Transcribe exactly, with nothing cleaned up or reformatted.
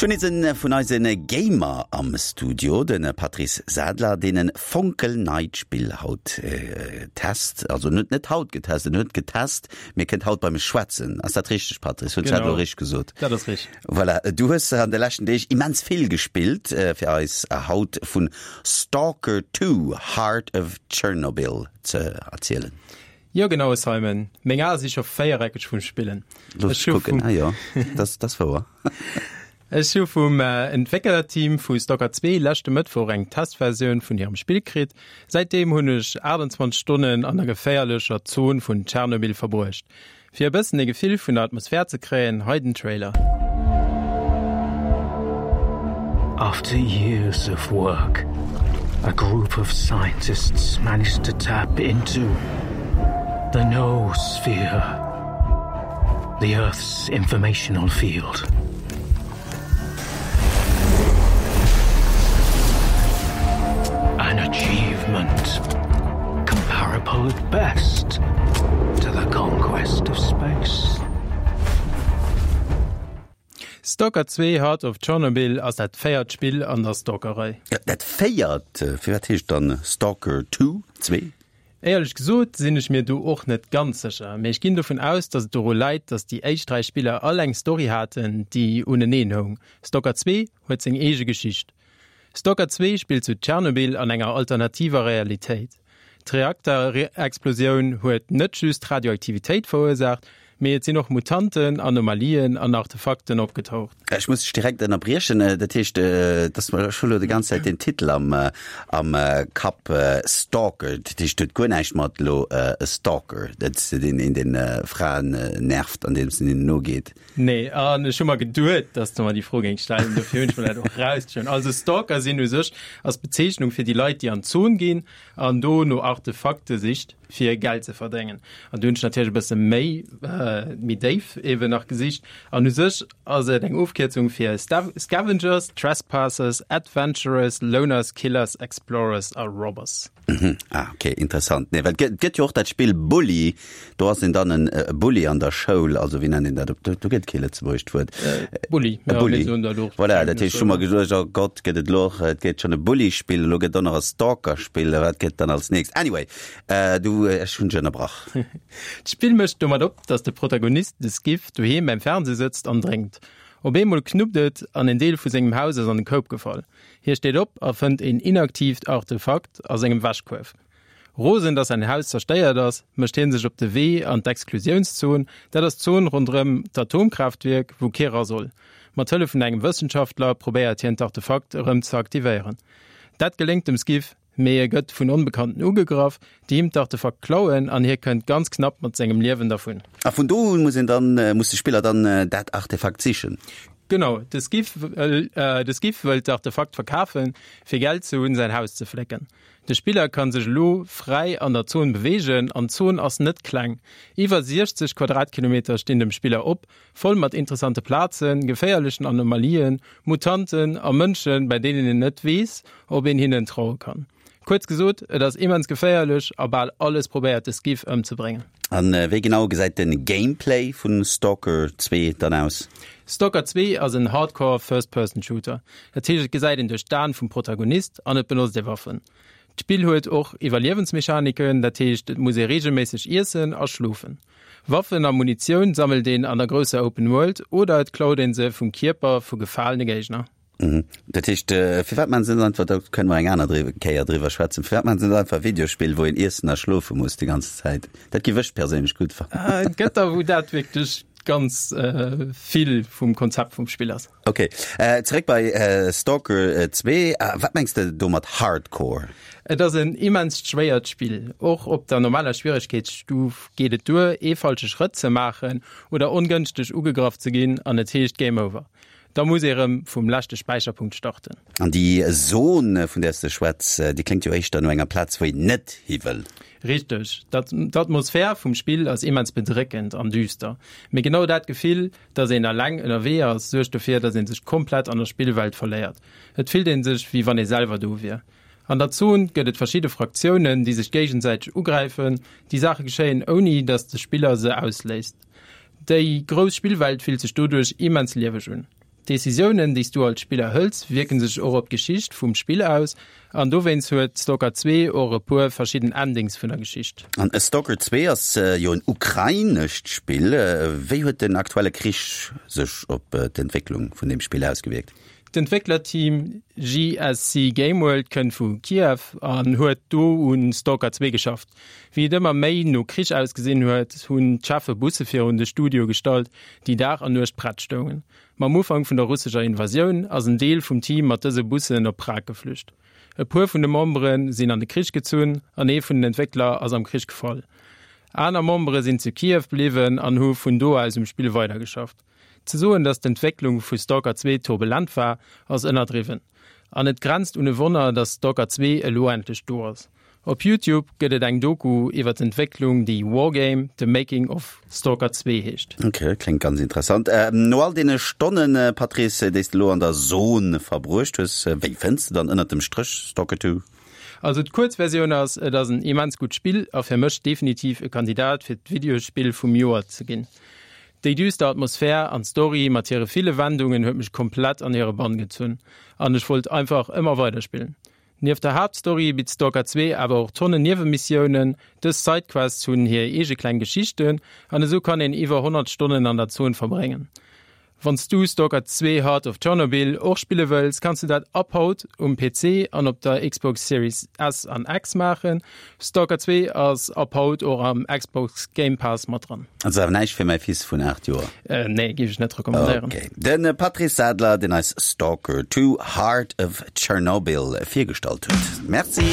Ech hunn nees en vun eise Gamer am Studio, de Patrice Sadler, deen e fonkelneit Spill haut test. Also en huet net haut getest, en huet getest, mee kënnt haut bei mech schwätzen. Ass dat richteg, Patrice? Hunn ech dat elo richteg gesot? Dat ass richteg. Voilà, du hues an de leschten Deeg immens vill gespillt, fir eis haut vun Stalker Two, Heart of Chernobyl ze erzielen. Jo genau Simon, meng Ae si scho véiereckeg vum Spillen. Looss ech kucken, ah jo, dat ass wouer. Ech hu vum Entwécklerteam vu Stalker zwee leschte Mëttwoch eng Testversioun vun hirem Spill kritt. Säitdeem hunn ech aachtundzwanzeg Stonnen an der geféierlecher Zon vun Tschernobyl verbruecht. Fir e bëssen e Gefill vun der Atmosphär ze kréien, hei den Trailer. After years of work, a group of scientists managed to tap into the noosphere, the Earth's informational field. An achievement comparable at best to the conquest of space. Stalker zwee, Heart of Chornobyl ass dat véiert Spill an der Stalker-Rei. Dat véiert? Firwat heescht dann Stalker Two, zwee? Éierlech gesot sinn ech mir do och net ganz sécher, mee ech ginn dovun aus, dass et doru läit, dass déi éischt dräi Spiller all eng Story haten, déi uneneen houng. Stalker zwee huet seng eege Geschicht. Stalker zwee spillt zu Tschernobyl an enger alternativer Realitéit. D'Reakterexplosioun huet net just Radioaktivitéit verursaacht, mee et sinn och Mutanten, Anomalien an Artefakten opgetaucht. Ech muss dech direkt ënnerbriechen. Dat heescht, dass mer, ech hu lo déi ganz Zäit den Titel am, am Kapp, Stalker. Dat heescht, huet guer näischt mat elo e Stalker, dat deen een den Fraen nervt, andeems en hinnen nogeet. Nee, an ech hu mer geduet, dass de mer déi Fro géings stellen, dofir hunn ech mer dat och erausgeschriwwen. Also Stalker sinn u sech ass d'Bezeechnung fir déi Leit, déi an d'Zon ginn an do no Artefakte sicht, fir Geld ze verdéngen. An do hunn ech natierlech e bësse méi, méi déif eeben nach gesicht. An u sech ass et eng Ofkierzung fir Scavengers, Trespassers, Adventurers, Loners, Killers, Explorers a Robbers. Mhm. Ah, okay, interessant. Nee, well et gëtt jo och dat Spill Bully, do ass een dann en Bully an der Schoul, also wéi nennt een dat op, do gëtt kee lëtzebuergescht Wuert. Bully, ja, Bully. Mir soen dat och. Voilà, dat heescht, ech hu mer geduecht, oh Gott, gëtt et elo och, et gëtt schonn e Bully-Spill, elo gëtt och nach e Stalker-Spill, wat gëtt dann als nächst? Anyway, du, ech hunn dech ënnerbrach. D'Spill mécht domat op, dass de Protagonist, de Skiff, doheem beim Fernseh sëtzt an drénkt. Op eemol knuppt et an en Deel vu sengem Haus ass an de Koup gefall. Hie steet op a fënnt een inaktiivt Artefakt a sengem Wäschkuerf. Rosen, dass säin Haus zerstéiert ass, mécht hie sech op de Wee an d'Exklusiounszon, dat ass d'Zon ronderëm d'Atomkraaftwierk, wou kee ra soll. Mat Hëllef vun engem Wëssenschaftler probéiert hien d'Artefakt erëm ze aktivéieren. Dat geléngt dem Skiff, mee e gëtt vun Onbekannten ugegraff, déi him d'Artefakt klauen an hie kënnt ganz knapp mat sengem Liewen dervun. A vun do un muss een dann, muss de Spiller dann dat Artefakt sichen? Genau, de Skiff wëll, de Skiff wëll d'Artefakt verkafen, fir Geld ze hunn, säin Haus ze flécken. De Spiller kann sech elo fräi an der Zon beweegen an d'Zon ass net kleng. Iwwer siechzeg Quadratkilometer stinn dem Spiller op, voll mat interessante Plazen, geféierlechen Anomalien, Mutanten a Mënschen, bei deenen een net weess, ob een hinnen traue kann. Kuerz gesot, et ass immens geféierlech a bal alles probéiert de Skiff ëmzebréngen. A wéi genau gesäit de Gameplay vu Stalker zwee dann aus? Stalker zwee ass en Hardcore First-Person-Shooter. Dat heescht, et gesäit een duerch d'Aen vum Protagonist an et benotzt ee Waffen. D'Spill huet och Iwwerliewensmechaniken, dat heescht et muss ee reegelméisseg iessen a schlofen. Waffen a Munitioun sammelt een an der grousser Open World oder et klaut een se vum Kierper vu gefalene Géigner. Mhm. Dat heescht, firwat maachen se net einfach, do kënne mer eng aner Kéier driwwer schwätzen, firwat maachen se net einfach e Videospill, wou een iessen a schlofe muss déi ganz Zäit? Dat géif ech perséinlech gutt fannen. Et gëtt der, wou dat wierklech ganz vill vum Konzept vum Spill ass. Ok, zeréck bei Stalker zwee. Wat mengs de do mat Hardcore? Et ass en immenst schwéiert Spill. Och op der normaler Schwieregkeetsstuf geet et duer, ee falsche Schrëtt ze maachen oder ongënschteg ugegraff ze ginn an et heescht Game Over. Da muss ee rëm vum leschte Späicherpunkt starten. An déi Zon, vun där s de schwätz, déi kléngt jo éischter no enger Plaz, wou een net hi wëll. Richteg. D'Atmosphär vum Spill ass immens bedréckend an düster. Mee genau dat Gefill, dass een eleng ënnerwee ass, suergt dofir, dass ee sech komplett an der Spillwelt verléiert. Et fillt ee sech, wéi wann ee selwer do wier. An der Zon gëtt et verschidde Fraktiounen, déi sech géigesäiteg ugräifen. Déi Saache geschéien, ouni dass de Spiller se ausléist. Déi grouss Spillwelt fillt sech doduerch immens lieweg un. D'Decisiounen, déi s du als Spiller hëls, wierken sech och op d'Geschicht vum Spill aus, an dowéinst huet Stalker zwee och e puer verschidden Endings vun der Geschicht. An Stalker zwee ass jo en ukrainescht Spill. Wéi huet den aktuelle Krich sech op d'Entwécklung vun deem Spill ausgewierkt? D'Entwécklerteam G S C Gameworld kënnt vu Kiew an huet do un Stalker zwee geschafft. Wéi et ëmmer méi no Krich ausgesinn huet, hunn d'Cheffe Busse virun de Studio gestallt, déi Dag an Nuecht prett stoungen. Mam Ufank vun der russescher Invasioun ass en Deel vum Team mat dëse Bussen op Prag geflücht. E puer vun de Membere sinn an de Krich gezunn an ee vun den Entwéckler ass am Krich gefall. Aner Membere sinn zu Kiew bliwwen an hu vun do aus um Spill weidergeschafft. Ze soen, datt d'Entwécklung vu Stalker zwee turbulent war, ass ënnerdriwwen. An et grenzt un e Wonner, datt Stalker zwee elo endlech do ass. Op YouTube gëtt et eng Doku iwwer d'Entwécklung, déi Wargame, The Making of Stalker zwee heescht. Ok, kléngt ganz interessant. No all deene Stonnen, Patrice, déi s de elo an der Zon verbruecht hues, wéi fënns de dann ënnert dem Stréch Stalker Two? Also d'Kuerzversioun ass, et ass en immens gutt Spill a fir mech definitiv e Kandidat fir d'Videospill vum Joer ze ginn. Déi düster Atmosphär an d'Story mat hire ville Wendungen huet mech komplett an hire Bann gezunn an ech wollt einfach ëmmer weiderspillen. Nieft der Haaptstory bitt Stalker zwee awer och Tonnen Niewenmissiounen, dës Sidequests hunn hir eege kleng Geschichten an esou kann een iwwer honnert Stonnen an der Zon verbréngen. Wann s du Stalker zwee Heart of Chernobyl och spille wëlls, kanns du dat ab haut um P C an op der Xbox Series S an X maachen. Stalker zwee ass ab haut och am Xbox Game Pass mat dran. Also awer näischt fir mäi Fils vun aacht Joer? Nee, géif ech net recommandéieren. Ok. De Patrice Sadler, deen eis Stalker Two Heart of Chernobyl virgestallt huet. Merci.